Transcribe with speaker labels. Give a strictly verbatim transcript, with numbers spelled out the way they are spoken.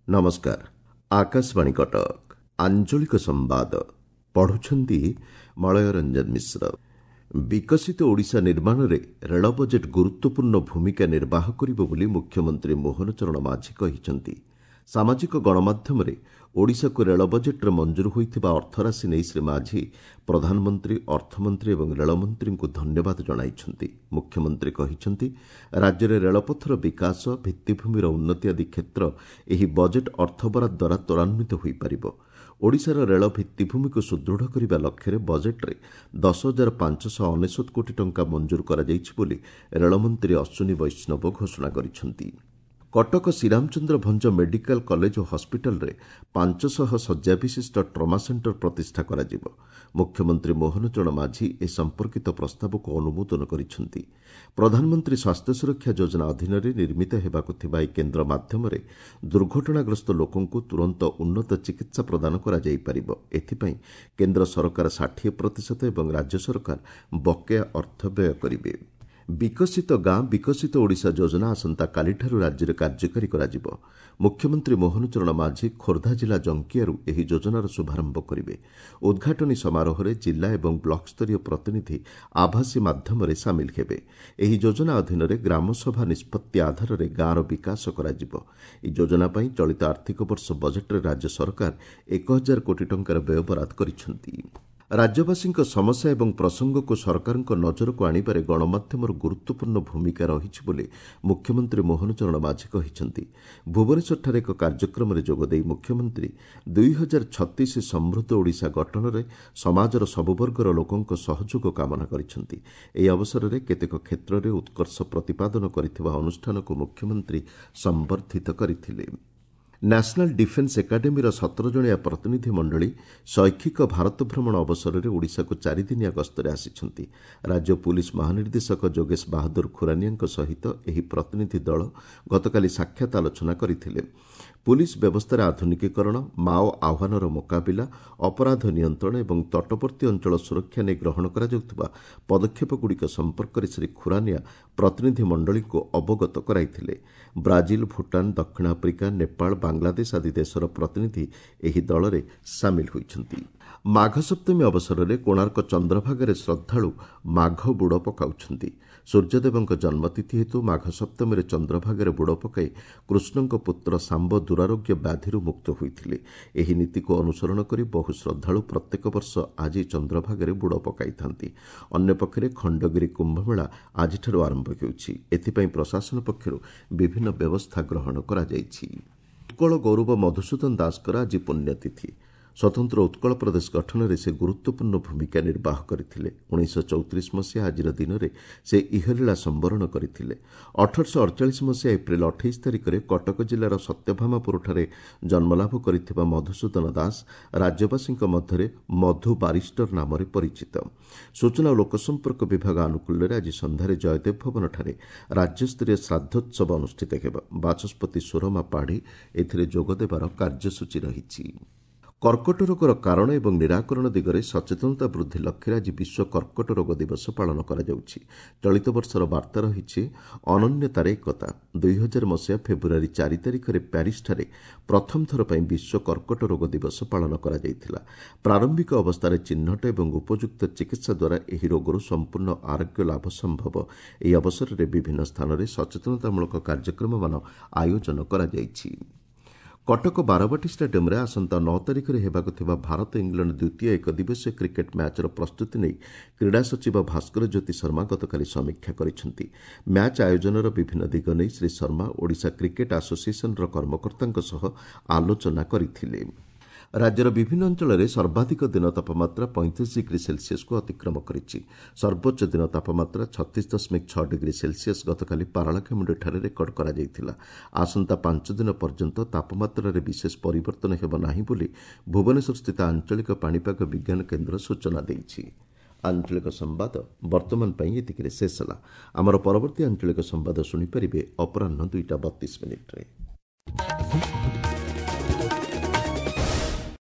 Speaker 1: ନମସ୍କାର ଆକାଶବାଣୀ କଟକ ଆଞ୍ଚଳିକ ସମ୍ବାଦ ପଢୁଛନ୍ତି ମଳୟ ରଞ୍ଜନ ମିଶ୍ର ବିକଶିତ ଓଡ଼ିଶା ନିର୍ମାଣରେ ରେଳ ବଜେଟ୍ ଗୁରୁତ୍ୱପୂର୍ଣ୍ଣ ଭୂମିକା ନିର୍ବାହ କରିବ ବୋଲି ମୁଖ୍ୟମନ୍ତ୍ରୀ ମୋହନ ଚରଣ ମାଝୀ କହିଛନ୍ତି ସାମାଜିକ ଗଣମାଧ୍ୟମରେ ଓଡ଼ିଶାକୁ ରେଳ ବଜେଟ୍ରେ ମଞ୍ଜୁର ହୋଇଥିବା ଅର୍ଥରାଶି ନେଇ ଶ୍ରୀ ମାଝୀ ପ୍ରଧାନମନ୍ତ୍ରୀ ଅର୍ଥମନ୍ତ୍ରୀ ଏବଂ ରେଳମନ୍ତ୍ରୀଙ୍କୁ ଧନ୍ୟବାଦ ଜଣାଇଛନ୍ତି ମୁଖ୍ୟମନ୍ତ୍ରୀ କହିଛନ୍ତି ରାଜ୍ୟରେ ରେଳପଥର ବିକାଶ ଭିତ୍ତିଭୂମିର ଉନ୍ନତି ଆଦି କ୍ଷେତ୍ର ଏହି ବଜେଟ୍ ଅର୍ଥବରାଦ ଦ୍ୱାରା ତ୍ୱରାନ୍ୱିତ ହୋଇପାରିବ ଓଡ଼ିଶାର ରେଳ ଭିତ୍ତିଭୂମିକୁ ସୁଦୃଢ଼ କରିବା ଲକ୍ଷ୍ୟରେ ବଜେଟ୍ରେ ଦଶ ହଜାର ପାଞ୍ଚଶହ ଅନେଶ୍ୱତ କୋଟି ଟଙ୍କା ମଞ୍ଜୁର କରାଯାଇଛି ବୋଲି ରେଳମନ୍ତ୍ରୀ ଅଶ୍ୱିନୀ ବୈଷ୍ଣବ ଘୋଷଣା କରିଛନ୍ତି କଟକ ଶ୍ରୀରାମଚନ୍ଦ୍ର ଭଞ୍ଜ ମେଡିକାଲ କଲେଜ ଓ ହସ୍ପିଟାଲରେ ପାଞ୍ଚଶହ ଶଯ୍ୟା ବିଶିଷ୍ଟ ଟ୍ରମା ସେଣ୍ଟର ପ୍ରତିଷ୍ଠା କରାଯିବ ମୁଖ୍ୟମନ୍ତ୍ରୀ ମୋହନ ଚରଣ ମାଝୀ ଏ ସମ୍ପର୍କିତ ପ୍ରସ୍ତାବକୁ ଅନୁମୋଦନ କରିଛନ୍ତି ପ୍ରଧାନମନ୍ତ୍ରୀ ସ୍ୱାସ୍ଥ୍ୟ ସୁରକ୍ଷା ଯୋଜନା ଅଧୀନରେ ନିର୍ମିତ ହେବାକୁ ଥିବା ଏହି କେନ୍ଦ୍ର ମାଧ୍ୟମରେ ଦୁର୍ଘଟଣାଗ୍ରସ୍ତ ଲୋକଙ୍କୁ ତୁରନ୍ତ ଉନ୍ନତ ଚିକିତ୍ସା ପ୍ରଦାନ କରାଯାଇପାରିବ ଏଥିପାଇଁ କେନ୍ଦ୍ର ସରକାର ଷାଠିଏ ପ୍ରତିଶତ ଏବଂ ରାଜ୍ୟ ସରକାର ବକେୟା ଅର୍ଥ ବ୍ୟୟ କରିବେ ବିକଶିତ ଗାଁ ବିକଶିତ ଓଡ଼ିଶା ଯୋଜନା ଆସନ୍ତାକାଲିଠାରୁ ରାଜ୍ୟରେ କାର୍ଯ୍ୟକାରୀ କରାଯିବ ମୁଖ୍ୟମନ୍ତ୍ରୀ ମୋହନ ଚରଣ ମାଝୀ ଖୋର୍ଦ୍ଧା ଜିଲ୍ଲା ଜଙ୍କିଆରୁ ଏହି ଯୋଜନାର ଶୁଭାରମ୍ଭ କରିବେ ଉଦ୍ଘାଟନୀ ସମାରୋହରେ ଜିଲ୍ଲା ଏବଂ ବ୍ଲକସ୍ତରୀୟ ପ୍ରତିନିଧି ଆଭାସୀ ମାଧ୍ୟମରେ ସାମିଲ ହେବେ ଏହି ଯୋଜନା ଅଧୀନରେ ଗ୍ରାମସଭା ନିଷ୍ପତ୍ତି ଆଧାରରେ ଗାଁର ବିକାଶ କରାଯିବ ଏହି ଯୋଜନା ପାଇଁ ଚଳିତ ଆର୍ଥିକ ବର୍ଷ ବଜେଟ୍ରେ ରାଜ୍ୟ ସରକାର ଏକ ହଜାର କୋଟି ଟଙ୍କାର ବ୍ୟୟବରାଦ କରିଛନ୍ତି ରାଜ୍ୟବାସୀଙ୍କ ସମସ୍ୟା ଏବଂ ପ୍ରସଙ୍ଗକୁ ସରକାରଙ୍କ ନଜରକୁ ଆଣିବାରେ ଗଣମାଧ୍ୟମର ଗୁରୁତ୍ୱପୂର୍ଣ୍ଣ ଭୂମିକା ରହିଛି ବୋଲି ମୁଖ୍ୟମନ୍ତ୍ରୀ ମୋହନ ଚରଣ ମାଝୀ କହିଛନ୍ତି ଭୁବନେଶ୍ୱରଠାରେ ଏକ କାର୍ଯ୍ୟକ୍ରମରେ ଯୋଗଦେଇ ମୁଖ୍ୟମନ୍ତ୍ରୀ ଦୁଇ ହଜାର ଛତିଶ ସମୃଦ୍ଧ ଓଡ଼ିଶା ଗଠନରେ ସମାଜର ସବୁବର୍ଗର ଲୋକଙ୍କ ସହଯୋଗ କାମନା କରିଛନ୍ତି ଏହି ଅବସରରେ କେତେକ କ୍ଷେତ୍ରରେ ଉତ୍କର୍ଷ ପ୍ରତିପାଦନ କରିଥିବା ଅନୁଷ୍ଠାନକୁ ମୁଖ୍ୟମନ୍ତ୍ରୀ ସମ୍ବର୍ଦ୍ଧିତ କରିଥିଲେ ନ୍ୟାସନାଲ୍ ଡିଫେନ୍ସ ଏକାଡେମୀର ସତର ଜଣିଆ ପ୍ରତିନିଧି ମଣ୍ଡଳୀ ଶୈକ୍ଷିକ ଭାରତ ଭ୍ରମଣ ଅବସରରେ ଓଡ଼ିଶାକୁ ଚାରିଦିନିଆ ଗସ୍ତରେ ଆସିଛନ୍ତି ରାଜ୍ୟ ପୁଲିସ୍ ମହାନିର୍ଦ୍ଦେଶକ ଯୋଗେଶ ବାହାଦୁର ଖୁରାନିଆଙ୍କ ସହିତ ଏହି ପ୍ରତିନିଧି ଦଳ ଗତକାଲି ସାକ୍ଷାତ ଆଲୋଚନା କରିଥିଲେ ପୁଲିସ୍ ବ୍ୟବସ୍ଥାରେ ଆଧୁନିକୀକରଣ ମାଓ ଆହ୍ୱାନର ମୁକାବିଲା ଅପରାଧ ନିୟନ୍ତ୍ରଣ ଏବଂ ତଟବର୍ତ୍ତୀ ଅଞ୍ଚଳ ସୁରକ୍ଷା ନେଇ ଗ୍ରହଣ କରାଯାଉଥିବା ପଦକ୍ଷେପଗୁଡ଼ିକ ସମ୍ପର୍କରେ ଶ୍ରୀ ଖୁରାନିଆ ପ୍ରତିନିଧି ମଣ୍ଡଳୀଙ୍କୁ ଅବଗତ କରାଇଥିଲେ ବ୍ରାଜିଲ ଭୁଟାନ ଦକ୍ଷିଣ ଆଫ୍ରିକା ନେପାଳ ବାଂଲାଦେଶ ଆଦି ଦେଶର ପ୍ରତିନିଧି ଏହି ଦଳରେ ସାମିଲ ହୋଇଛନ୍ତି ମାଘ ସପ୍ତମୀ ଅବସରରେ କୋଣାର୍କ ଚନ୍ଦ୍ରଭାଗାରେ ଶ୍ରଦ୍ଧାଳୁ ମାଘ ବୁଡ଼ ପକାଉଛନ୍ତି ସୂର୍ଯ୍ୟଦେବଙ୍କ ଜନ୍ମତିଥି ହେତୁ ମାଘ ସପ୍ତମୀରେ ଚନ୍ଦ୍ରଭାଗାରେ ବୁଡ଼ ପକାଇ କୃଷ୍ଣଙ୍କ ପୁତ୍ର ଶାମ୍ବ ଦୁରାରୋଗ୍ୟ ବ୍ୟାଧିରୁ ମୁକ୍ତ ହୋଇଥିଲେ ଏହି ନୀତିକୁ ଅନୁସରଣ କରି ବହୁ ଶ୍ରଦ୍ଧାଳୁ ପ୍ରତ୍ୟେକ ବର୍ଷ ଆଜି ଚନ୍ଦ୍ରଭାଗାରେ ବୁଡ଼ ପକାଇଥାନ୍ତି ଅନ୍ୟପକ୍ଷରେ ଖଣ୍ଡଗିରି କୁମ୍ଭମେଳା ଆଜିଠାରୁ ଆରମ୍ଭ ହେଉଛି ଏଥିପାଇଁ ପ୍ରଶାସନ ପକ୍ଷରୁ ବିଭିନ୍ନ ବ୍ୟବସ୍ଥା ଗ୍ରହଣ କରାଯାଇଛି ଉତ୍କଳ ଗୌରବ ମଧୁସୂଦନ ଦାସଙ୍କର ଆଜି ପୁଣ୍ୟତିଥି ସ୍ୱତନ୍ତ୍ର ଉତ୍କଳ ପ୍ରଦେଶ ଗଠନରେ ସେ ଗୁରୁତ୍ୱପୂର୍ଣ୍ଣ ଭୂମିକା ନିର୍ବାହ କରିଥିଲେ ଉଣେଇଶହ ଚଉତିରିଶ ମସିହା ଆଜିର ଦିନରେ ସେ ଇହଲୀଳା ସମ୍ବରଣ କରିଥିଲେ ଅଠରଶହ ଅଡ଼ଚାଳିଶ ମସିହା ଏପ୍ରିଲ ଅଠେଇଶ ତାରିଖରେ କଟକ ଜିଲ୍ଲାର ସତ୍ୟଭାମାପୁରଠାରେ ଜନ୍ମଲାଭ କରିଥିବା ମଧୁସୂଦନ ଦାସ ରାଜ୍ୟବାସୀଙ୍କ ମଧ୍ୟରେ ମଧୁ ବାରିଷ୍ଟର ନାମରେ ପରିଚିତ ସୂଚନା ଓ ଲୋକସମ୍ପର୍କ ବିଭାଗ ଆନୁକୂଲ୍ୟରେ ଆଜି ସନ୍ଧ୍ୟାରେ ଜୟଦେବ ଭବନଠାରେ ରାଜ୍ୟସ୍ତରୀୟ ଶ୍ରାଦ୍ଧୋତ୍ସବ ଅନୁଷ୍ଠିତ ହେବ ବାଚସ୍ପତି ସୁରମା ପାଢ଼ୀ ଏଥିରେ ଯୋଗଦେବାର କାର୍ଯ୍ୟସୂଚୀ ରହିଛି କର୍କଟ ରୋଗର କାରଣ ଏବଂ ନିରାକରଣ ଦିଗରେ ସଚେତନତା ବୃଦ୍ଧି ଲକ୍ଷ୍ୟରେ ଆଜି ବିଶ୍ୱ କର୍କଟ ରୋଗ ଦିବସ ପାଳନ କରାଯାଉଛି ଚଳିତ ବର୍ଷର ବାର୍ତ୍ତା ରହିଛି ଅନନ୍ୟତାରେ ଏକତା ଦୁଇ ହଜାର ମସିହା ଫେବୃଆରୀ ଚାରି ତାରିଖରେ ପ୍ୟାରିସଠାରେ ପ୍ରଥମ ଥର ପାଇଁ ବିଶ୍ୱ କର୍କଟ ରୋଗ ଦିବସ ପାଳନ କରାଯାଇଥିଲା ପ୍ରାରମ୍ଭିକ ଅବସ୍ଥାରେ ଚିହ୍ନଟ ଏବଂ ଉପଯୁକ୍ତ ଚିକିତ୍ସା ଦ୍ୱାରା ଏହି ରୋଗରୁ ସମ୍ପୂର୍ଣ୍ଣ ଆରୋଗ୍ୟ ଲାଭ ସମ୍ଭବ ଏହି ଅବସରରେ ବିଭିନ୍ନ ସ୍ଥାନରେ ସଚେତନତାମୂଳକ କାର୍ଯ୍ୟକ୍ରମମାନ ଆୟୋଜନ କରାଯାଇଛି କଟକ ବାରବାଟୀ ଷ୍ଟାଡିୟମ୍ରେ ଆସନ୍ତା ନଅ ତାରିଖରେ ହେବାକୁ ଥିବା ଭାରତ ଇଂଲଣ୍ଡ ଦ୍ୱିତୀୟ ଏକଦିବସୀୟ କ୍ରିକେଟ୍ ମ୍ୟାଚ୍ର ପ୍ରସ୍ତୁତି ନେଇ କ୍ରୀଡ଼ା ସଚିବ ଭାସ୍କର ଜ୍ୟୋତି ଶର୍ମା ଗତକାଲି ସମୀକ୍ଷା କରିଛନ୍ତି ମ୍ୟାଚ୍ ଆୟୋଜନର ବିଭିନ୍ନ ଦିଗ ନେଇ ଶ୍ରୀ ଶର୍ମା ଓଡ଼ିଶା କ୍ରିକେଟ୍ ଆସୋସିଏସନ୍ର କର୍ମକର୍ତ୍ତାଙ୍କ ସହ ଆଲୋଚନା କରିଥିଲେ ରାଜ୍ୟର ବିଭିନ୍ନ ଅଞ୍ଚଳରେ ସର୍ବାଧିକ ଦିନ ତାପମାତ୍ରା ପଇଁତିରିଶ ଡିଗ୍ରୀ ସେଲସିୟସକୁ ଅତିକ୍ରମ କରିଛି ସର୍ବୋଚ୍ଚ ଦିନ ତାପମାତ୍ରା ଛତିଶ ଦଶମିକ ଛଅ ଡିଗ୍ରୀ ସେଲସିୟସ ଗତକାଲି ପାରଳାଖେମୁଣ୍ଡିଠାରେ ରେକର୍ଡ କରାଯାଇଥିଲା ଆସନ୍ତା ପାଞ୍ଚ ଦିନ ପର୍ଯ୍ୟନ୍ତ ତାପମାତ୍ରାରେ ବିଶେଷ ପରିବର୍ତ୍ତନ ହେବ ନାହିଁ ବୋଲି ଭୁବନେଶ୍ୱରସ୍ଥିତ ଆଞ୍ଚଳିକ ପାଣିପାଗ ବିଜ୍ଞାନ କେନ୍ଦ୍ର ସୂଚନା ଦେଇଛି ଆଞ୍ଚଳିକ ସମ୍ବାଦ ବର୍ତ୍ତମାନ ପାଇଁ ଏତିକିରେ ଶେଷ ହେଲା ଆମର ପରବର୍ତ୍ତୀ ଆଞ୍ଚଳିକ ସମ୍ବାଦ ଶୁଣିପାରିବେ ଅପରାହ୍ନ ଦୁଇଟା ବତିଶ ମିନିଟ୍ରେ